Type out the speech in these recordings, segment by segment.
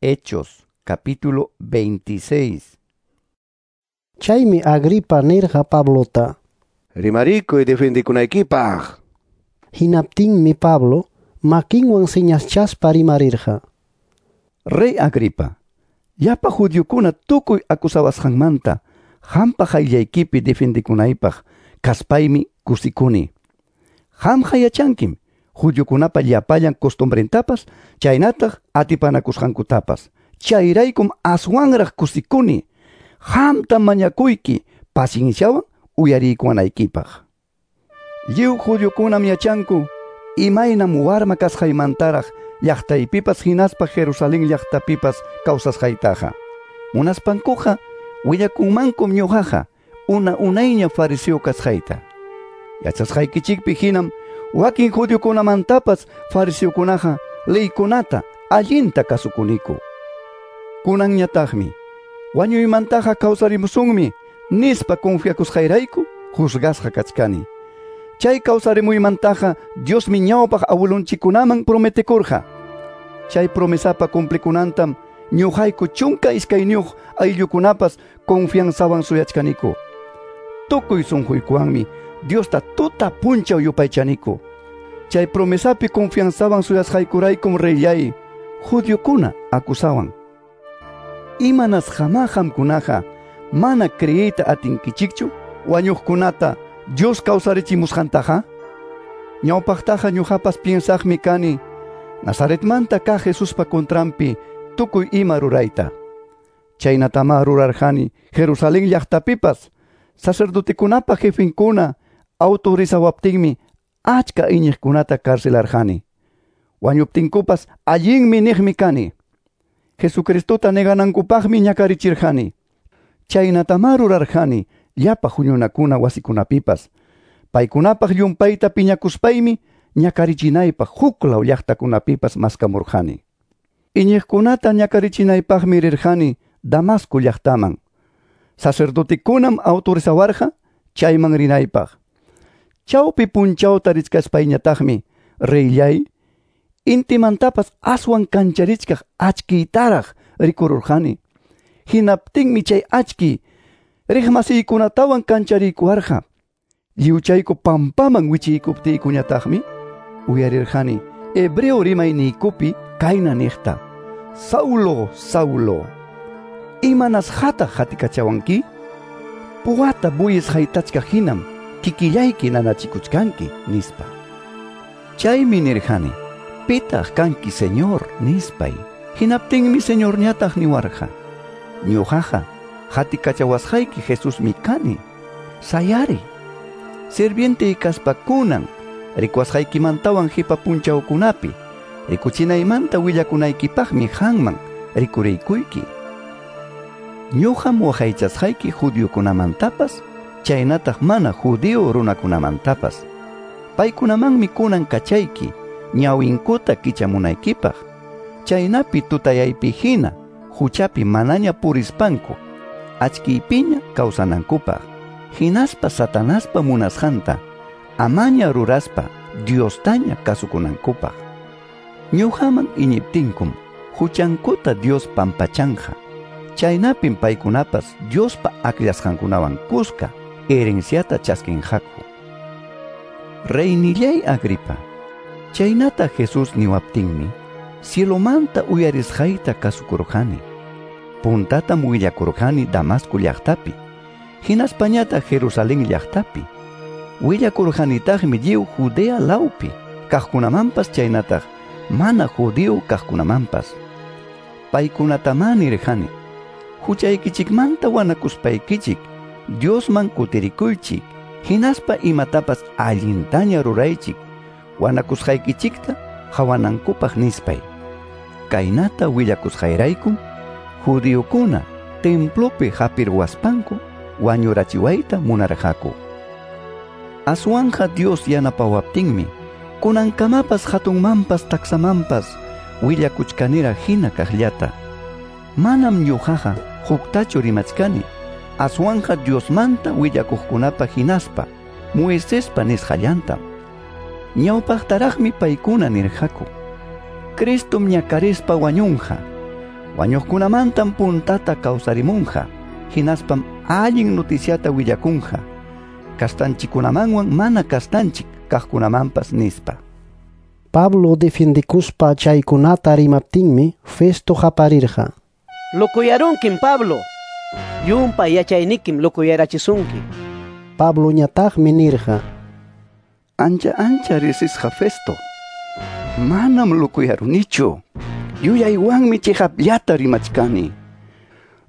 Hechos, capítulo 26. Chaymi Agripa nirqa Pablota: Rimarikuy defendikunaykipaq. Hinaptinmi Pablo makinwan señaschaspa rimarirqa: Rey Agripa, llapa judiokuna tukuy acusawasqanmanta qampa qayllaykipi defendikunaypaq kaspaymi kusikuni. Qamqa yachankim judiokunapa llapallan costumbrentapas chaynataq atipanakusqankutapas. Chayraykum aswanraq kusikuni. Qamtam mañakuyki pacienciawan uyariykuwanaykipaq. Lliw judiokunam yachanku imaynam warma kasqaymantaraq llaqtaypipas hinaspa Jerusalén llaqtapipas kawsasqaytaqa. Munaspankuqa willakunmankum ñuqaqa una unayña fariseo kasqayta. Yachasqaykichikpi hinam wakin judiokunamantapas fariseokunaqa leykunata allinta kasukuniku. Kunanñataqmi wañuymantaqa kawsarimusunmi nispa confiakusqayrayku juzgasqa kachkani. Chay kawsarimuymantaqa Diosmi ñawpaq abuelonchikkunaman prometekurqa. Chay promesapa cumplikunantam ñuqayku 12 ayllukunapas confianzawan suyachkaniku. Tukuy sunquykuwanmi Diosta tuta punchaw yupaychaniku. Chay promesapi confianzawan suyasqaykuraykum reyllay judiokuna acusawan. Imanasqamá qamkunaqa mana creeyta atinkichikchu wañuqkunata Dios kawsarichimusqantaqa? Ñawpaqtaqa ñuqapas piensaqmi kani Nazaretmanta kaq Jesuspa contranpi tukuy ima rurayta. Chaynatamá rurarqani Jerusalén llaqtapipas sacerdotekunapa jefenkuna autorizawaptinmi achka iñiqkunata carcelarqani. Wañuptinkupas allinmi niqmi kani. Jesucristota neganankupaqmi ñakarichirqani. Chaynatamá rurarqani llapa huñunakuna wasikunapipas. Paykunapaq llumpayta piñakuspaymi ñakarichinaypaq huklaw llaqtakunapipas maskamurqani. Iñiqkunata ñakarichinaypaqmi rirqani Damasco llaqtaman. Sacerdotekunam autorizawarqa chayman rinaypaq. Chawpi punchawta richkaspayñataqmi reyllay intimantapas aswan kancharichkaq achkiytaraq rikururqani. Hinaptinmi chay achki riqmasiykunatawan kanchariykuwarqa. Lliwchayku pampaman wichiykuptiykuñataqmi uyarirqani hebreo rimayniykupi kayna niqta: Saulo, Saulo, imanasqataq qatikachawanki? Puwata buyis haytachkaq hinam kikillayki nanachikuchkanki, nispa. Chaymi nirqani: Pitaq kanki, Señor, nispay. Hinaptinmi Señorñataq niwarqa: Ñuqaqa qatikachawasqayki Jesusmi kani. Sayari. Sirviente kaspa kunan rikuwasqaykimantawan qipa punchawkunapi rikuchinaymanta willakunaykipaqmi qanman rikuriykuyki. Ñuqam waqaychasqayki judiokunamantapas chaynataq mana judío runakunamantapas. Paykunamanmi kunan kachayki ñawinkuta kichamunaykipaq. Chaynapi tutayaypi hina huchapi manaña purispanku achkiypiña kawsanankupaq. Hinaspa Satanaspa munasqanta amaña ruraspa Diostaña kasukunankupaq. Ñuqaman iñiptinkum huchankuta Dios pampachanqa. Chaynapim paykunapas Diospa akllasqankunawan kuska herenciata chaskinqaku. Reynillay Agripa, chaynata Jesús niwaptinmi cielomanta uyarisqayta kasukurqani. Puntatam willakurqani Damasco llaqtapi, hinaspañataq Jerusalén llaqtapi. Willakurqanitaqmi lliw Judea lawpi kaqkunamanpas chaynataq mana judío kaqkunamanpas. Paykunatamá nirqani: Huchaykichikmanta wanakuspaykichik Diosman kutirikuychik, hinaspa imatapas allintaña ruraychik wanakusqaykichikta qawanankupaq nispay. Kaynata willakusqayraykum judiokuna templopi hapirwaspanku wañurachiwayta munarqaku. Aswanja Dios yanapawaptinmi kunankamapas hatunmanpas taksamanpas willakuchkanira hina kaqllata. Manam ñuqaqa huktachu rimachkani, aswanja Diosmanta willakuqkunapa hinaspa Moisespa nisqallantam. Ñawpaqtaraqmi paykuna nirqaku: Cristom ñakarispa wañunqa, Wañuqkunamantam puntata kawsarimunqa, hinaspam allin noticiata willakunqa, kastanchikkunamanwan mana kastanchik kaqkunamanpas nispa. Pablo defiendikuspa chaykunata rimaptinmi Festo qaparirqa. Lokuyarunkim Pablo. Llumpay yachaynikim lokuyarachisunki. Pabloñataqmi nirqa. Ancha ancha riqsisqa Festo. Manam lokuyarunichu. Yuyaywanmi chiqapllata rimachkani.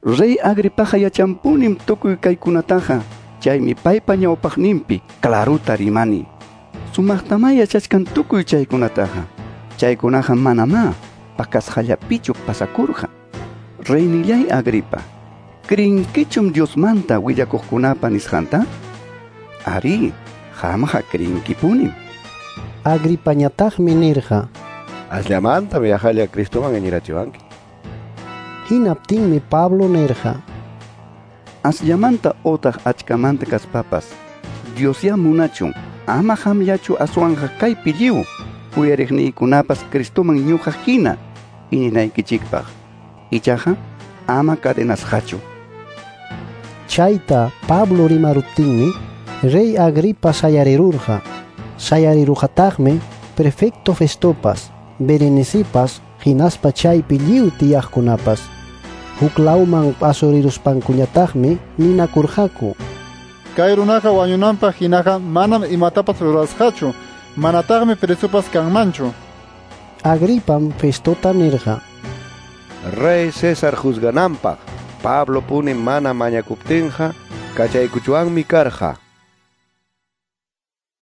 Rey Agripaqa yachanpunim tukuy kaykunataqa, chaymi paypa ñawpaqninpi claruta rimani. Sumaqtamá yachachkan tukuy chaykunataqa. Chaykunaqa manamá pakasqallapichu pasakurqa. Reynillay Agripa, ¿crinkichum Diosmanta willakuqkunapa nisqanta? Ari, qamqa crinkipunim. Agripañataqmi nirqa. Asllamantam yaqalla Cristoman iñirachiwanki. Hinaptinmi Pablo nirqa. Asllamanta otaq achkamanta kaspapas, Diosyá munachun, ama qamllachu aswanqa kaypi lliw uyariqniykunapas Cristoman ñuqa hina iñinaykichikpaq. Ichaqa ama cadenasqachu. Chayta Pablo rimaruptinmi rey Agripa sayarirurqa. Sayarirurqataqmi prefecto Festopas, Berenicepas, hinaspa chaypi lliw tiyaqkunapas. Huk lawman asuriruspankuñataqmi ninakurqaku. Kay runaqa wañunanpaq hinaqa manam imatapas rurasqachu, manataqmi presopas kanmanchu. Agripam Festota nirqa. Rey César juzgananpaq Pablo puni mana mañakuptinqa kachaykuchwanmi karqa.